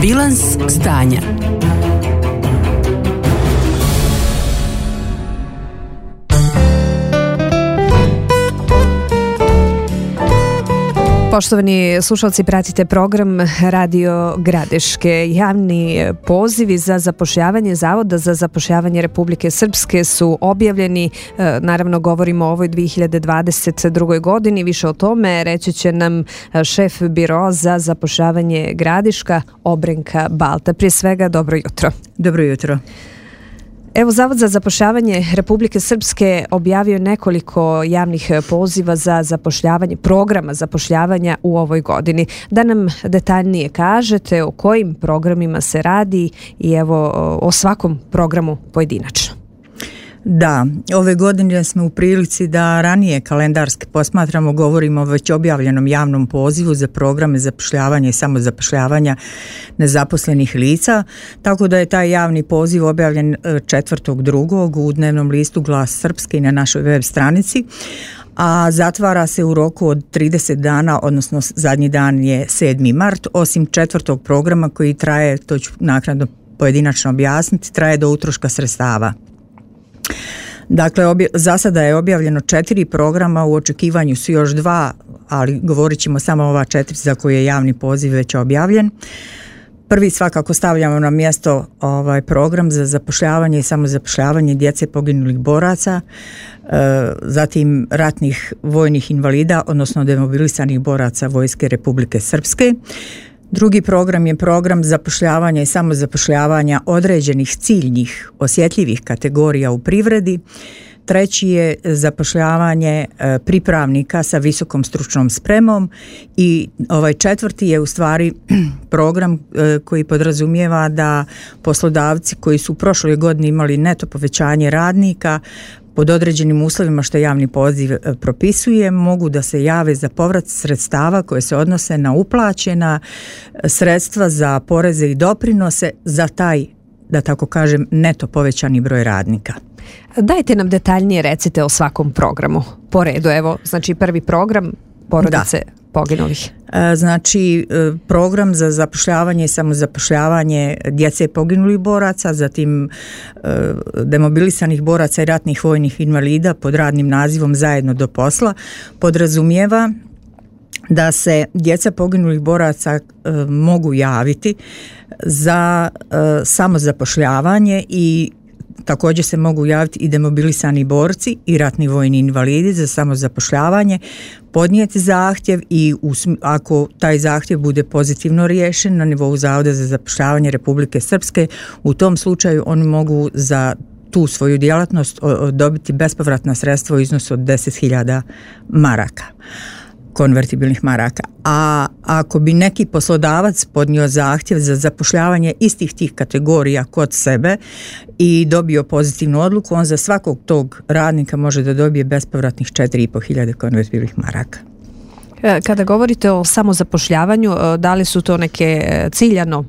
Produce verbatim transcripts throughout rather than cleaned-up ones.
Bilans stanja. Poštovani slušalci, pratite program Radio Gradiške. Javni pozivi za zapošljavanje Zavoda za zapošljavanje Republike Srpske su objavljeni. Naravno, govorimo o ovoj dvije hiljade dvadeset drugoj godini. Više o tome reći će nam šef Biro za zapošljavanje Gradiška, Obrenka Balta. Prije svega, dobro jutro. Dobro jutro. Evo, Zavod za zapošljavanje Republike Srpske objavio nekoliko javnih poziva za zapošljavanje, programa zapošljavanja u ovoj godini. Da nam detaljnije kažete o kojim programima se radi i evo o svakom programu pojedinačno. Da, ove godine smo u prilici da ranije kalendarski posmatramo, govorimo o već objavljenom javnom pozivu za programe zapošljavanja i samozapošljavanja nezaposlenih lica, tako da je taj javni poziv objavljen četvrtog drugog u dnevnom listu Glas Srpske i na našoj web stranici, a zatvara se u roku od trideset dana, odnosno zadnji dan je sedmi mart, osim četvrtog programa koji traje, to ću naknadno pojedinačno objasniti, traje do utroška sredstava. Dakle, obje, za sada je objavljeno četiri programa, u očekivanju su još dva, ali govorit ćemo samo ova četiri za koje je javni poziv već objavljen. Prvi svakako stavljamo na mjesto ovaj program za zapošljavanje i samozapošljavanje djece poginulih boraca, e, zatim ratnih vojnih invalida, odnosno demobilisanih boraca Vojske Republike Srpske. Drugi program je program zapošljavanja i samozapošljavanja određenih ciljnih, osjetljivih kategorija u privredi. Treći je zapošljavanje pripravnika sa visokom stručnom spremom i ovaj četvrti je u stvari program koji podrazumijeva da poslodavci koji su u prošloj godini imali neto povećanje radnika pod određenim uslovima što javni poziv propisuje, mogu da se jave za povrat sredstava koje se odnose na uplaćena sredstva za poreze i doprinose za taj, da tako kažem, neto povećani broj radnika. Dajte nam detaljnije, recite o svakom programu. Po redu, evo, znači prvi program porodice da. poginulih. Znači, program za zapošljavanje i samozapošljavanje djece poginulih boraca, zatim demobilisanih boraca i ratnih vojnih invalida pod radnim nazivom Zajedno do posla, podrazumijeva da se djeca poginulih boraca e, mogu javiti za e, samozapošljavanje i također se mogu javiti i demobilisani borci i ratni vojni invalidi za samozapošljavanje, podnijeti zahtjev i ako taj zahtjev bude pozitivno riješen na nivou Zavoda za zapošljavanje Republike Srpske, u tom slučaju oni mogu za tu svoju djelatnost dobiti bespovratna sredstva u iznosu od deset hiljada maraka, konvertibilnih maraka. A ako bi neki poslodavac podnio zahtjev za zapošljavanje istih tih kategorija kod sebe i dobio pozitivnu odluku, on za svakog tog radnika može da dobije bespovratnih četiri i po hiljade konvertibilnih maraka. Kada govorite o samozapošljavanju, da li su to neke ciljano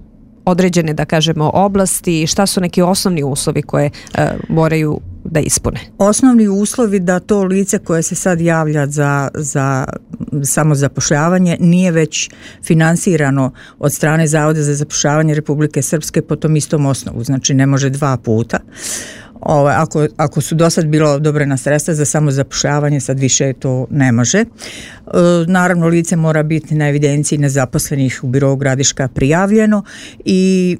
određene, da kažemo, oblasti, šta su neki osnovni uslovi koje uh, moraju da ispune? Osnovni uslovi da to lice koje se sad javlja za, za samozapošljavanje nije već finansirano od strane Zavoda za zapošljavanje Republike Srpske po tom istom osnovu, znači ne može dva puta. Ovo, ako, ako su do sad bila odobrena sredstva za samozapošljavanje, sad više to ne može. E, naravno, lice mora biti na evidenciji nezaposlenih u Birou Gradiška prijavljeno i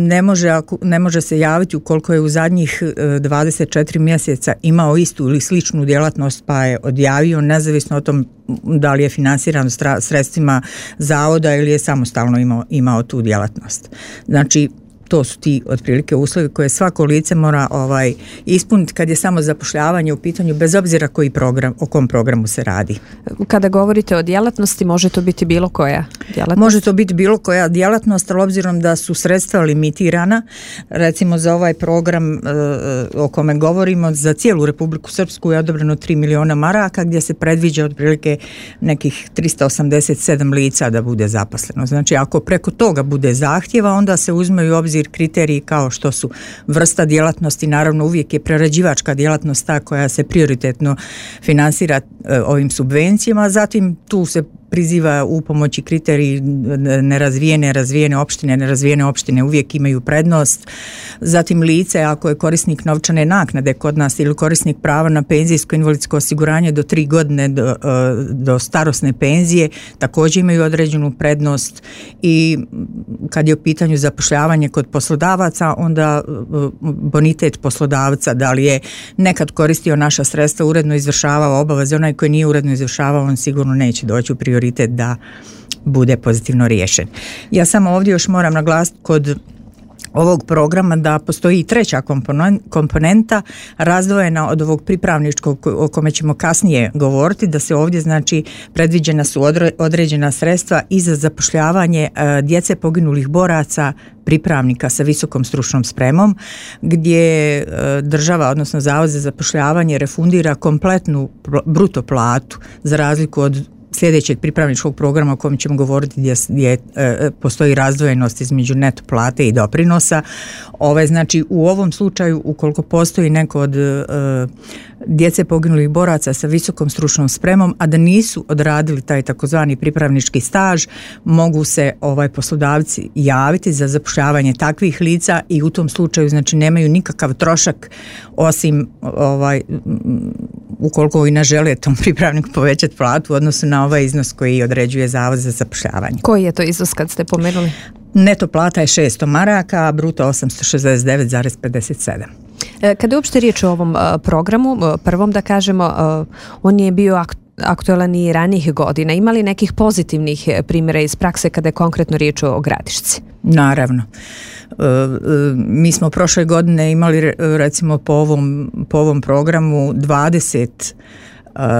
ne može, ako, ne može se javiti ukoliko je u zadnjih dvadeset četiri mjeseca imao istu ili sličnu djelatnost pa je odjavio, nezavisno o tom da li je finansiran sredstvima zavoda ili je samostalno imao, imao tu djelatnost. Znači, to su ti otprilike uslovi koje svako lice mora ovaj ispuniti kad je samo zapošljavanje u pitanju, bez obzira koji program, o kom programu se radi. Kada govorite o djelatnosti, može to biti bilo koja djelatnost? Može to biti bilo koja djelatnost, ali obzirom da su sredstva limitirana, recimo za ovaj program e, o kome govorimo, za cijelu Republiku Srpsku je odobreno tri miliona maraka gdje se predviđa otprilike nekih tristo osamdeset sedam lica da bude zaposleno. Znači, ako preko toga bude zahtjeva, onda se uzmeju u obzir kriteriji kao što su vrsta djelatnosti, naravno uvijek je prerađivačka djelatnost ta koja se prioritetno finansira e, ovim subvencijama, zatim tu se priziva u pomoći kriteriji nerazvijene, razvijene opštine, nerazvijene opštine uvijek imaju prednost. Zatim lice ako je korisnik novčane naknade kod nas ili korisnik prava na penzijsko invalidsko osiguranje do tri godine do, do starosne penzije također imaju određenu prednost i kad je u pitanju zapošljavanje kod poslodavaca onda bonitet poslodavca da li je nekad koristio naša sredstva, uredno izvršavao obaveze, onaj koji nije uredno izvršavao on sigurno neće doći u prioritet da bude pozitivno riješen. Ja samo ovdje još moram naglasiti kod ovog programa da postoji i treća komponenta razdvojena od ovog pripravničkog o kome ćemo kasnije govoriti, da se ovdje znači predviđena su određena sredstva i za zapošljavanje djece poginulih boraca pripravnika sa visokom stručnom spremom gdje država odnosno Zavod za zapošljavanje refundira kompletnu bruto platu za razliku od sljedećeg pripravničkog programa o kojem ćemo govoriti gdje, gdje e, postoji razdvojenost između neto plate i doprinosa. Ove, znači u ovom slučaju ukoliko postoji neko od e, djece poginulih boraca sa visokom stručnom spremom, a da nisu odradili taj takozvani pripravnički staž, mogu se ovaj poslodavci javiti za zapošljavanje takvih lica i u tom slučaju znači nemaju nikakav trošak osim ovaj ukoliko i ne žele tom pripravniku povećati platu u odnosu na ovaj iznos koji određuje Zavod za zapošljavanje. Koji je to iznos kad ste pomenuli? Neto plata je šesto maraka, a bruto osamsto šezdeset devet zarez pedeset sedam. Kada je uopšte riječ o ovom programu, prvom da kažemo, on je bio aktualan i ranijih godina. Ima li nekih pozitivnih primjera iz prakse kada je konkretno riječ o Gradišci? Naravno. Mi smo prošle godine imali recimo po ovom, po ovom programu dvadeset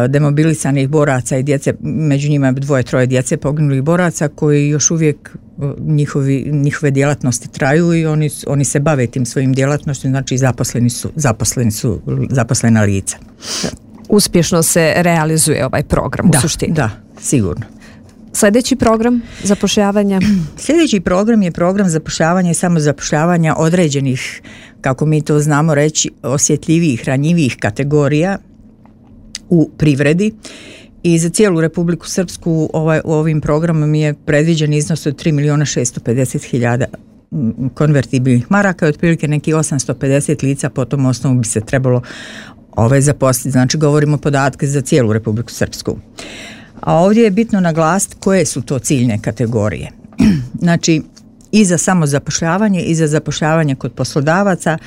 demobilisanih boraca i djece, među njima dvoje, troje djece poginulih boraca koji još uvijek njihovi, njihove djelatnosti traju i oni, oni se bave tim svojim djelatnostima, znači zaposleni su, zaposleni su zaposlena lica. Uspješno se realizuje ovaj program da, u suštini. Da, sigurno. Sljedeći program zapošljavanja? Sljedeći program je program zapošljavanja i samozapošljavanja određenih, kako mi to znamo reći, osjetljivijih, ranjivijih kategorija u privredi i za cijelu Republiku Srpsku ovaj, ovim programom je predviđen iznos od tri milijuna šesto pedeset hiljada konvertibilnih maraka i otprilike neki osamsto pedeset lica po tom osnovu bi se trebalo ovaj, zaposliti. Znači govorimo podatke za cijelu Republiku Srpsku. A ovdje je bitno naglasiti koje su to ciljne kategorije. Znači i za samozapošljavanje i za zapošljavanje kod poslodavaca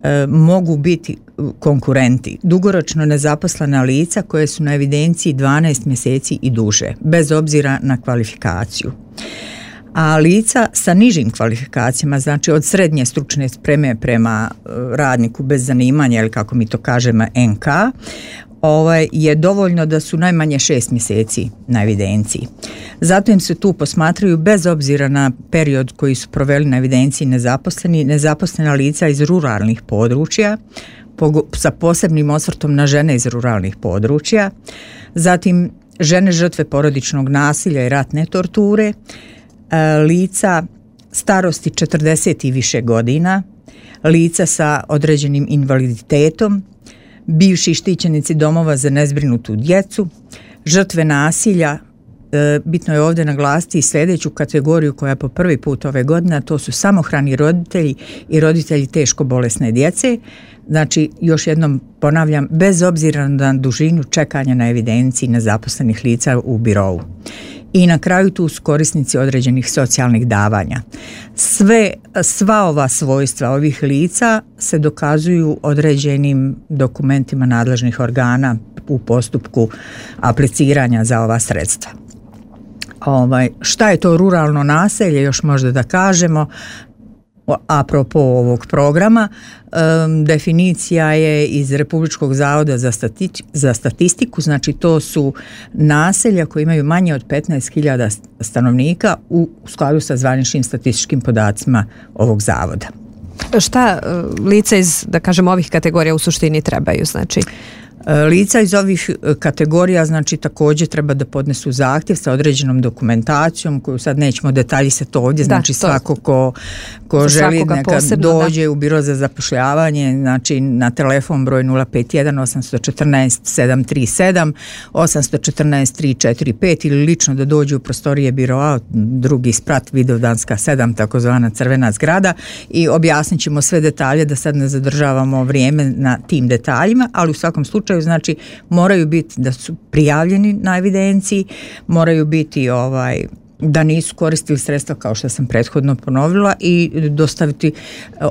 e, mogu biti konkurenti, dugoročno nezaposlena lica koje su na evidenciji dvanaest mjeseci i duže, bez obzira na kvalifikaciju. A lica sa nižim kvalifikacijama, znači od srednje stručne spreme prema radniku bez zanimanja ili kako mi to kažemo en ka, ovaj, je dovoljno da su najmanje šest mjeseci na evidenciji. Zato im se tu posmatraju bez obzira na period koji su proveli na evidenciji nezaposleni, nezaposlena lica iz ruralnih područja, sa posebnim osvrtom na žene iz ruralnih područja, zatim žene žrtve porodičnog nasilja i ratne torture, lica starosti četrdeset i više godina, lica sa određenim invaliditetom, bivši štićenici domova za nezbrinutu djecu, žrtve nasilja. Bitno je ovdje naglasiti i sljedeću kategoriju koja je po prvi put ove godine, a to su samohrani roditelji i roditelji teško bolesne djece. Znači, još jednom ponavljam, bez obzira na dužinu čekanja na evidenciji nezaposlenih lica u birovu. I na kraju tu su korisnici određenih socijalnih davanja. Sve, sva ova svojstva ovih lica se dokazuju određenim dokumentima nadležnih organa u postupku apliciranja za ova sredstva. Ovaj, šta je to ruralno naselje, još možda da kažemo, apropo ovog programa, um, definicija je iz Republičkog zavoda za, stati- za statistiku, znači to su naselja koji imaju manje od petnaest hiljada stanovnika u skladu sa zvaničnim statističkim podacima ovog zavoda. Šta lice iz, da kažem, ovih kategorija u suštini trebaju, znači? Lica iz ovih kategorija znači također treba da podnesu zahtjev sa određenom dokumentacijom koju sad nećemo detaljisati ovdje, znači da, svako ko, ko želi neka posebno, dođe da. u biro za zapošljavanje, znači na telefon broj nula pet jedan osam jedan četiri sedam tri sedam osam jedan četiri tri četiri pet ili lično da dođe u prostorije biroa, drugi sprat Vidovdanska sedam, takozvana crvena zgrada, i objasnit ćemo sve detalje da sad ne zadržavamo vrijeme na tim detaljima, ali u svakom slučaju znači moraju biti da su prijavljeni na evidenciji, moraju biti ovaj da nisu koristili sredstva kao što sam prethodno ponovila i dostaviti.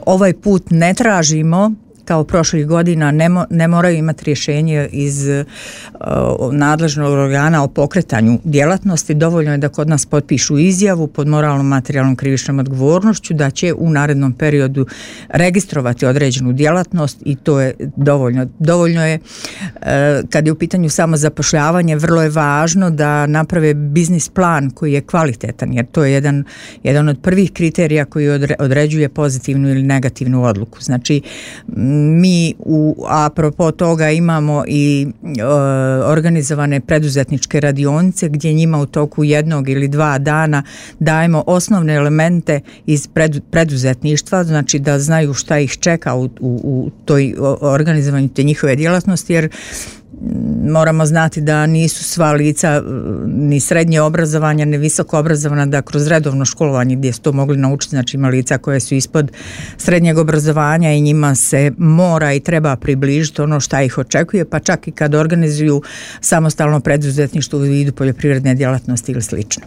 Ovaj put ne tražimo kao prošlih godina, ne, mo, ne moraju imati rješenje iz uh, nadležnog organa o pokretanju djelatnosti, dovoljno je da kod nas potpišu izjavu pod moralnom materijalnom krivičnom odgovornošću da će u narednom periodu registrovati određenu djelatnost i to je dovoljno. Dovoljno je uh, kad je u pitanju samo zapošljavanje, vrlo je važno da naprave biznis plan koji je kvalitetan, jer to je jedan, jedan od prvih kriterija koji odre, određuje pozitivnu ili negativnu odluku. Znači mi u apropo toga imamo i e, organizovane preduzetničke radionice gdje njima u toku jednog ili dva dana dajemo osnovne elemente iz pred, preduzetništva, znači da znaju šta ih čeka u, u, u toj organizovanju te njihove djelatnosti, jer moramo znati da nisu sva lica ni srednje obrazovanja, ni visoko obrazovana, da kroz redovno školovanje gdje su to mogli naučiti, znači ima lica koje su ispod srednjeg obrazovanja i njima se mora i treba približiti ono šta ih očekuje, pa čak i kad organizuju samostalno preduzetništvo u vidu poljoprivredne djelatnosti ili slično.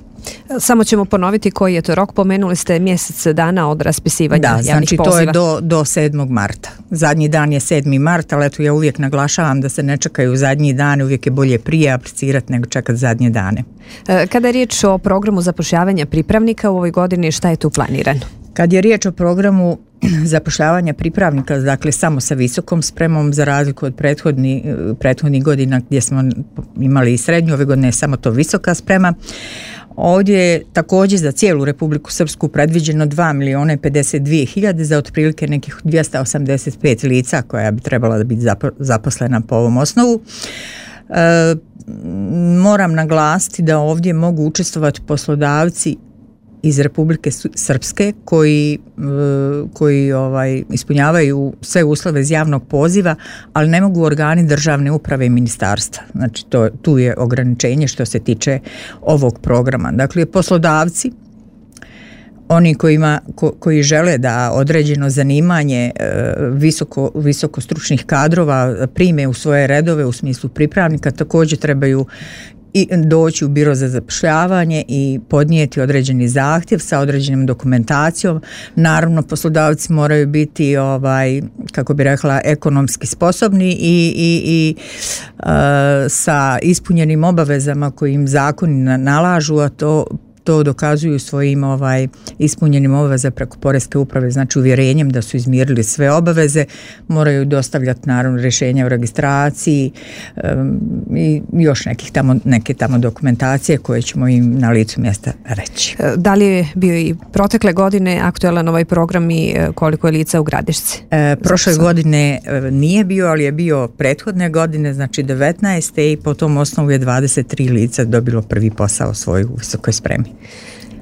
Samo ćemo ponoviti koji je to rok, pomenuli ste mjesec dana od raspisivanja da, javnih znači poziva. To je do, do sedmog marta. Zadnji dan je sedmi mart, ali eto ja uvijek naglašavam da se ne čekaju zadnji dane, uvijek je bolje prije aplicirati nego čekati zadnje dane. Kada je riječ o programu zapošljavanja pripravnika u ovoj godini, šta je tu planirano? Kad je riječ o programu zapošljavanja pripravnika, dakle samo sa visokom spremom, za razliku od prethodnih prethodnih godina gdje smo imali i srednju, ove godine je samo to visoka sprema. Ovdje je također za cijelu Republiku Srpsku predviđeno dva milijuna pedeset dvije hiljade za otprilike nekih dvjesto osamdeset pet lica koja bi trebala da biti zaposlena po ovom osnovu. E, moram naglasiti da ovdje mogu učestvovati poslodavci iz Republike Srpske koji, koji ovaj, ispunjavaju sve uslove iz javnog poziva, ali ne mogu organi državne uprave i ministarstva. Znači to, tu je ograničenje što se tiče ovog programa. Dakle, poslodavci, oni kojima, ko, koji žele da određeno zanimanje visoko, visoko stručnih kadrova prime u svoje redove u smislu pripravnika, također trebaju i doći u biro za zapošljavanje i podnijeti određeni zahtjev sa određenom dokumentacijom. Naravno, poslodavci moraju biti, ovaj, kako bi rekla, ekonomski sposobni i, i, i uh, sa ispunjenim obavezama koji im zakoni nalažu, a to to dokazuju svojim ovaj, ispunjenim obaveza preko Poreske uprave, znači uvjerenjem da su izmirili sve obaveze, moraju dostavljati naravno rješenja o registraciji um, i još nekih tamo, neke tamo dokumentacije koje ćemo im na licu mjesta reći. Da li je bio i protekle godine aktualan ovaj program i koliko je lica u Gradišci? E, prošle Zato godine nije bio, ali je bio prethodne godine, znači devetnaeste i po tom osnovu je dvadeset tri lica dobilo prvi posao svoj u visokoj spremi.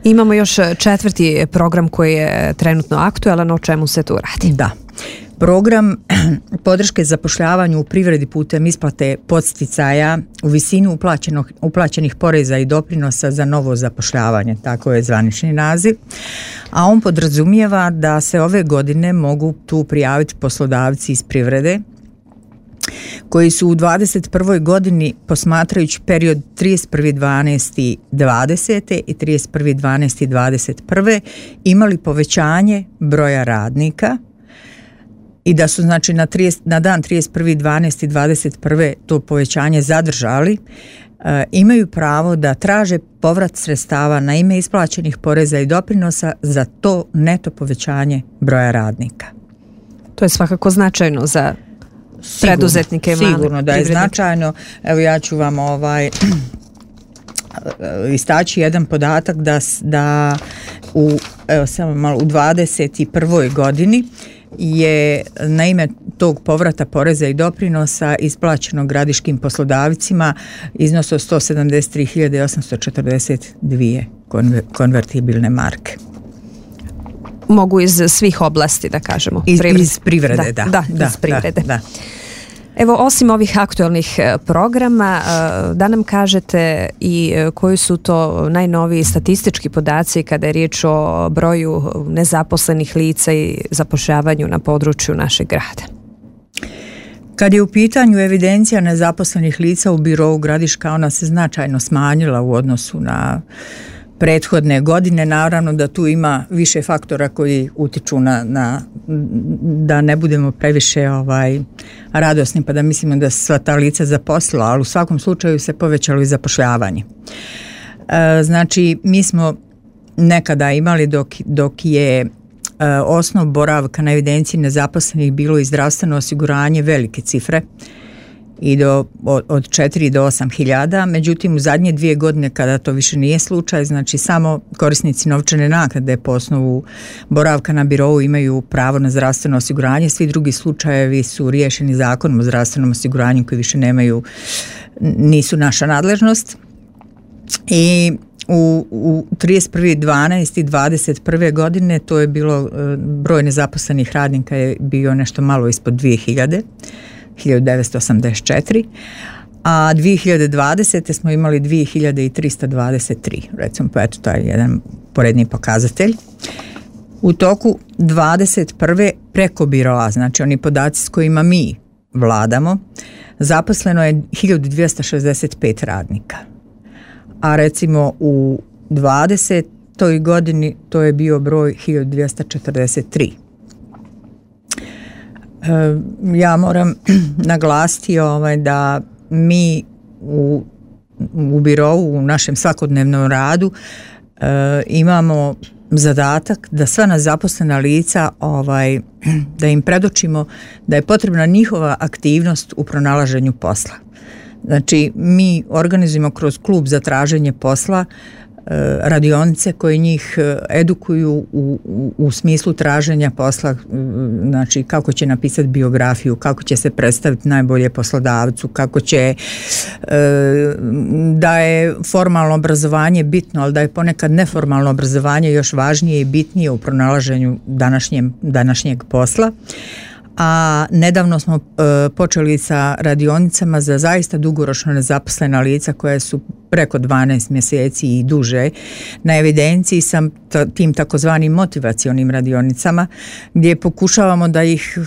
Imamo još četvrti program koji je trenutno aktualan, o čemu se tu radi? Da. Program podrške zapošljavanju u privredi putem isplate podsticaja u visinu uplaćenih poreza i doprinosa za novo zapošljavanje, tako je zvanični naziv, a on podrazumijeva da se ove godine mogu tu prijaviti poslodavci iz privrede koji su u dvadeset prvoj godini, posmatrajući period trideset prvi dvanaesti dvadesete i trideset prvi dvanaesti dvadeset prve imali povećanje broja radnika i da su znači na, trideset, na dan trideset prvi dvanaesti dvadeset prve to povećanje zadržali, e, imaju pravo da traže povrat sredstava na ime isplaćenih poreza i doprinosa za to neto povećanje broja radnika. To je svakako značajno za Sigurno, preduzetnike. Sigurno da je značajno. Evo ja ću vam ovaj istaći jedan podatak da, da u, evo, samo malo, u dvadeset prvoj godini je na ime tog povrata poreza i doprinosa isplaćeno gradiškim poslodavcima iznos od sto sedamdeset tri hiljade osamsto četrdeset dvije konvertibilne marke. Mogu iz svih oblasti, da kažemo. Iz, iz privrede, da. Da, da, da iz privrede. Da, da. Evo, osim ovih aktualnih programa, da nam kažete i koji su to najnoviji statistički podaci kada je riječ o broju nezaposlenih lica i zapošljavanju na području našeg grada? Kad je u pitanju evidencija nezaposlenih lica u Birou Gradiška, ona se značajno smanjila u odnosu na prethodne godine. Naravno da tu ima više faktora koji utiču na, na da ne budemo previše ovaj, radosni pa da mislimo da se sva ta lica zaposlila, ali u svakom slučaju se povećalo i zapošljavanje. E, znači, mi smo nekada imali dok, dok je e, osnov boravka na evidenciji nezaposlenih bilo i zdravstveno osiguranje velike cifre, i do, od četiri do osam hiljada, međutim u zadnje dvije godine kada to više nije slučaj, znači samo korisnici novčane naknade po osnovu boravka na birou imaju pravo na zdravstveno osiguranje, svi drugi slučajevi su riješeni zakonom o zdravstvenom osiguranju koji više nemaju, nisu naša nadležnost. I u, u trideset prvi dvanaesti dvadeset prve godine to je bilo, broj nezaposlenih radnika je bio nešto malo ispod dvije hiljade, hiljadu devetsto osamdeset četiri, a dvije hiljade dvadesete smo imali dvije hiljade trista dvadeset tri, recimo, pa eto, to je jedan poredni pokazatelj. U toku dvadeset prve preko biroa, znači oni podaci s kojima mi vladamo, zaposleno je hiljadu dvjesto šezdeset pet radnika, a recimo u dvadesetoj godini to je bio broj hiljadu dvjesto četrdeset tri. Ja moram naglasiti ovaj, da mi u, u birou, u našem svakodnevnom radu e, imamo zadatak da sva nezaposlena lica ovaj, da im predočimo da je potrebna njihova aktivnost u pronalaženju posla. Znači, mi organizujemo kroz klub za traženje posla radionice koje njih edukuju u, u, u smislu traženja posla, znači kako će napisati biografiju, kako će se predstaviti najbolje poslodavcu, kako će da je formalno obrazovanje bitno, ali da je ponekad neformalno obrazovanje još važnije i bitnije u pronalaženju današnjem, današnjeg posla. A nedavno smo e, počeli sa radionicama za zaista dugoročno nezaposlena lica koja su preko dvanaest mjeseci i duže na evidenciji sa tim takozvanim motivacionim radionicama gdje pokušavamo da ih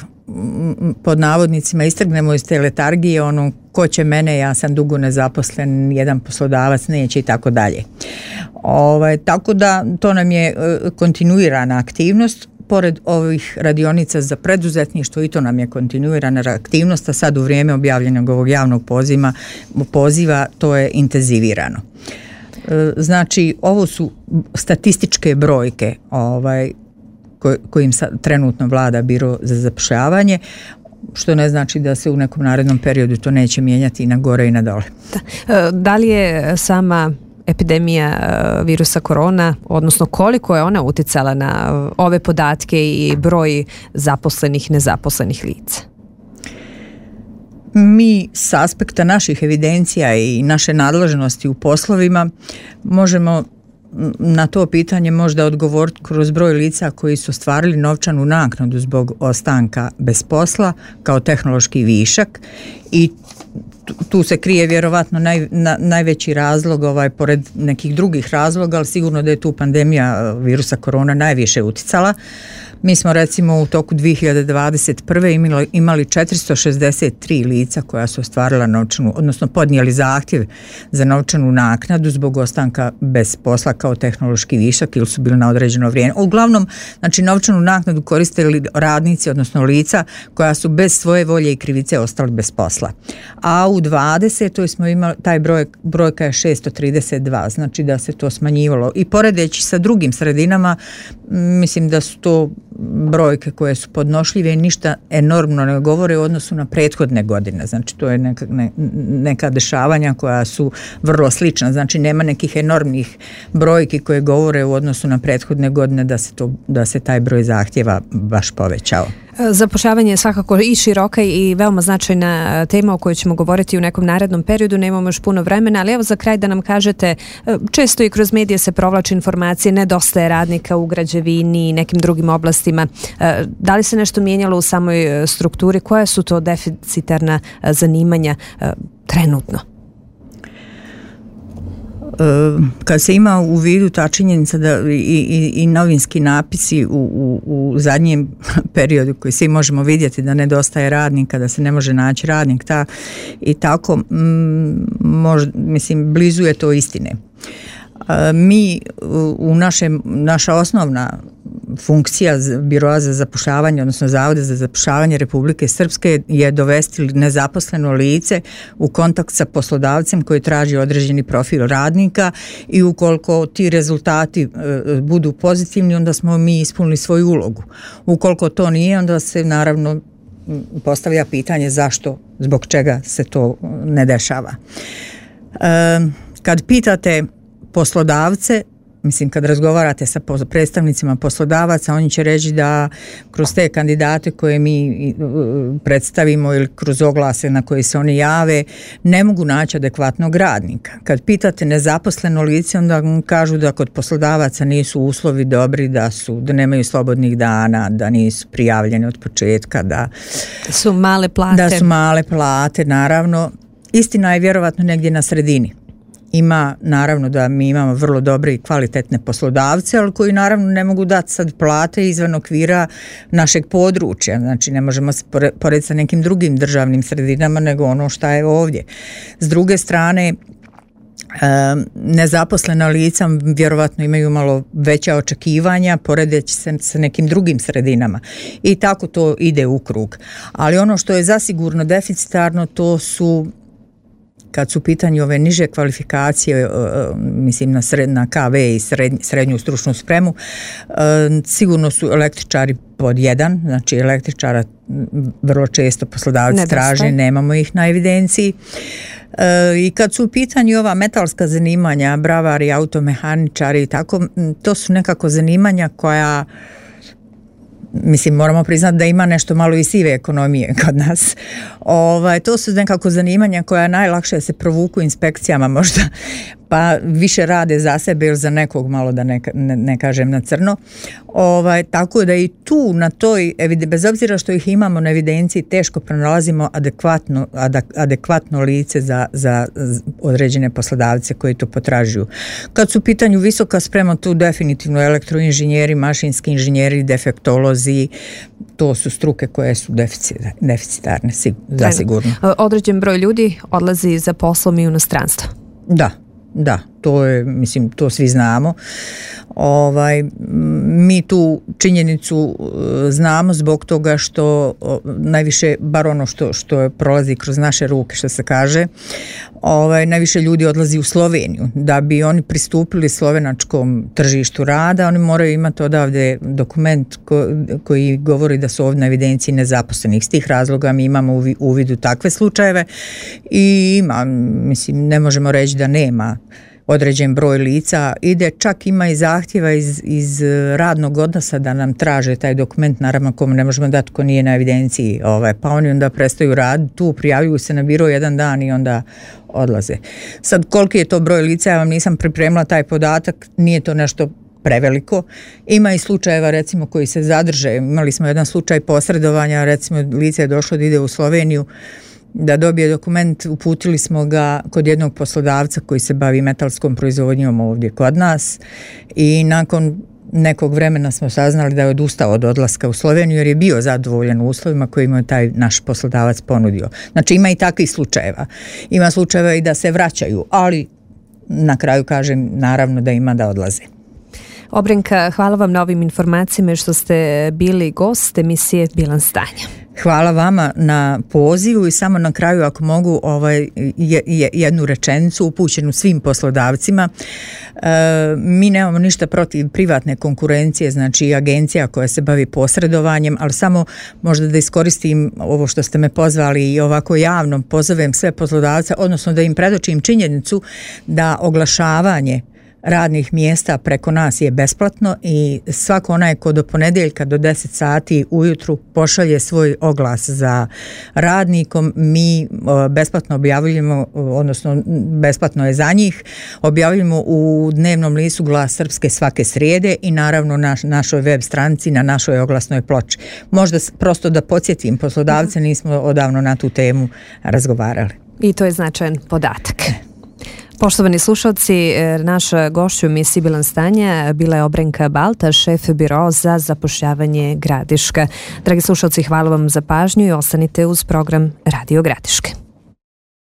pod navodnicima istrgnemo iz te letargije, ono ko će mene, ja sam dugo nezaposlen, jedan poslodavac neće i tako dalje. Ovaj, tako da to nam je e, kontinuirana aktivnost. Pored ovih radionica za preduzetništvo i to nam je kontinuirana aktivnost, a sad u vrijeme objavljenog ovog javnog poziva, poziva to je intenzivirano. Znači, ovo su statističke brojke ovaj, kojim sad trenutno vlada Biro za zapošljavanje, što ne znači da se u nekom narednom periodu to neće mijenjati i na gore i na dole. Da, da li je sama epidemija virusa korona, odnosno koliko je ona utjecala na ove podatke i broj zaposlenih, nezaposlenih lica? Mi s aspekta naših evidencija i naše nadležnosti u poslovima možemo na to pitanje možda odgovoriti kroz broj lica koji su ostvarili novčanu naknadu zbog ostanka bez posla kao tehnološki višak i tu se krije vjerovatno naj, na, najveći razlog, ovaj, pored nekih drugih razloga, ali sigurno da je tu pandemija virusa korona najviše uticala. Mi smo recimo u toku dvije hiljade dvadeset prve imali, imali četiristo šezdeset tri lica koja su ostvarila novčanu, odnosno podnijeli zahtjev za novčanu naknadu zbog ostanka bez posla kao tehnološki višak ili su bili na određeno vrijeme. Uglavnom, znači novčanu naknadu koristili radnici, odnosno lica koja su bez svoje volje i krivice ostali bez posla. A u dvadesetoj smo imali, taj broj, brojka je šesto trideset dva, znači da se to smanjivalo. I poredeći sa drugim sredinama, mislim da su to brojke koje su podnošljive i ništa enormno ne govore u odnosu na prethodne godine. Znači to je neka, ne, neka dešavanja koja su vrlo slična. Znači nema nekih enormnih brojki koje govore u odnosu na prethodne godine da se, to, da se taj broj zahtjeva baš povećao. Zapošljavanje je svakako i široka i veoma značajna tema o kojoj ćemo govoriti u nekom narednom periodu, nemamo još puno vremena, ali evo za kraj da nam kažete, često i kroz medije se provlače informacije, nedostaje radnika u građevini i nekim drugim oblastima. Da li se nešto mijenjalo u samoj strukturi? Koja su to deficitarna zanimanja trenutno? Kad se ima u vidu ta činjenica da i, i, i novinski napisi u, u, u zadnjem periodu koji svi možemo vidjeti da nedostaje radnika, da se ne može naći radnik ta, i tako možda, mislim, blizu je to istine. Mi u našem, naša osnovna funkcija Biroa za zapošljavanje, odnosno Zavoda za zapošljavanje Republike Srpske je dovesti nezaposleno lice u kontakt sa poslodavcem koji traži određeni profil radnika i ukoliko ti rezultati e, budu pozitivni, onda smo mi ispunili svoju ulogu. Ukoliko to nije, onda se naravno postavlja pitanje zašto, zbog čega se to ne dešava. E, kad pitate poslodavce, mislim kad razgovarate sa predstavnicima poslodavaca, oni će reći da kroz te kandidate koje mi predstavimo ili kroz oglase na koje se oni jave ne mogu naći adekvatnog radnika. Kad pitate nezaposleno lice, onda kažu da kod poslodavaca nisu uslovi dobri, da su, da nemaju slobodnih dana, da nisu prijavljeni od početka, da su male plate. Da su male plate, naravno. Istina je vjerovatno negdje na sredini. Ima, naravno da mi imamo vrlo dobre i kvalitetne poslodavce, ali koji naravno ne mogu dati sad plate izvan okvira našeg područja. Znači ne možemo se porediti sa nekim drugim državnim sredinama nego ono šta je ovdje. S druge strane, nezaposlena lica vjerovatno imaju malo veća očekivanja poredeći se sa nekim drugim sredinama i tako to ide u krug. Ali ono što je zasigurno deficitarno, to su kad su u pitanju ove niže kvalifikacije, mislim na, sred, na K V i srednju, srednju stručnu spremu, sigurno su električari pod jedan, znači električara vrlo često poslodavci Nedostaje. traže, nemamo ih na evidenciji. I kad su u pitanju ova metalska zanimanja, bravari, automehaničari i tako, to su nekako zanimanja koja, mislim, moramo priznati da ima nešto malo i sive ekonomije kod nas. Ovaj, to su nekako zanimanja koja najlakše se provuku inspekcijama možda, pa više rade za sebe ili za nekog, malo da ne, ne, ne kažem na crno. Ovaj, tako da i tu na toj, bez obzira što ih imamo na evidenciji, teško pronalazimo adekvatno, adekvatno lice za, za određene poslodavce koji to potražuju. Kad su u pitanju visoka sprema, tu definitivno elektroinženjeri, mašinski inženjeri, defektolozi, to su struke koje su deficitarne, zasigurno. Određen broj ljudi odlazi za poslom i u inostranstvo. Da. Da, to je, mislim, to svi znamo. Ovaj, mi tu činjenicu znamo zbog toga što najviše, bar ono što, što prolazi kroz naše ruke, što se kaže, ovaj, najviše ljudi odlazi u Sloveniju. Da bi oni pristupili slovenačkom tržištu rada, oni moraju imati odavde dokument ko, koji govori da su ovdje na evidenciji nezaposlenih. S tih razloga mi imamo u vidu takve slučajeve i ima, mislim, ne možemo reći da nema određen broj lica, ide, čak ima i zahtjeva iz, iz radnog odnosa da nam traže taj dokument, naravno komu ne možemo dati ko nije na evidenciji, ovaj, pa oni onda prestaju raditi, tu prijavljuju se na biro jedan dan i onda odlaze. Sad, koliki je to broj lica, ja vam nisam pripremila taj podatak, nije to nešto preveliko. Ima i slučajeva recimo koji se zadrže, imali smo jedan slučaj posredovanja, recimo lice je došlo da ide u Sloveniju da dobije dokument, uputili smo ga kod jednog poslodavca koji se bavi metalskom proizvodnjom ovdje kod nas i nakon nekog vremena smo saznali da je odustao od odlaska u Sloveniju jer je bio zadovoljan uslovima koje mu je taj naš poslodavac ponudio. Znači ima i takvih slučajeva. Ima slučajeva i da se vraćaju, ali na kraju kažem naravno da ima da odlaze. Obrenka, hvala vam na ovim informacijama što ste bili gost emisije Bilans stanja. Hvala vama na pozivu i samo na kraju ako mogu ovaj, jednu rečenicu upućenu svim poslodavcima. E, mi nemamo ništa protiv privatne konkurencije, znači agencija koja se bavi posredovanjem, ali samo možda da iskoristim ovo što ste me pozvali i ovako javno pozovem sve poslodavce, odnosno da im predočim činjenicu da oglašavanje radnih mjesta preko nas je besplatno i svako onaj ko do ponedjeljka do deset sati ujutru pošalje svoj oglas za radnikom, mi besplatno objavljujemo, odnosno besplatno je za njih, objavljujemo u dnevnom listu Glas Srpske svake srijede i naravno na našoj web stranici, na našoj oglasnoj ploči. Možda prosto da podsjetim poslodavce, nismo odavno na tu temu razgovarali. I to je značajan podatak. Poštovani slušalci, naša gošća u emisiji Bilans stanja bila je Obrenka Balta, šef biro za zapošljavanje Gradiška. Dragi slušalci, hvala vam za pažnju i ostanite uz program Radio Gradiške.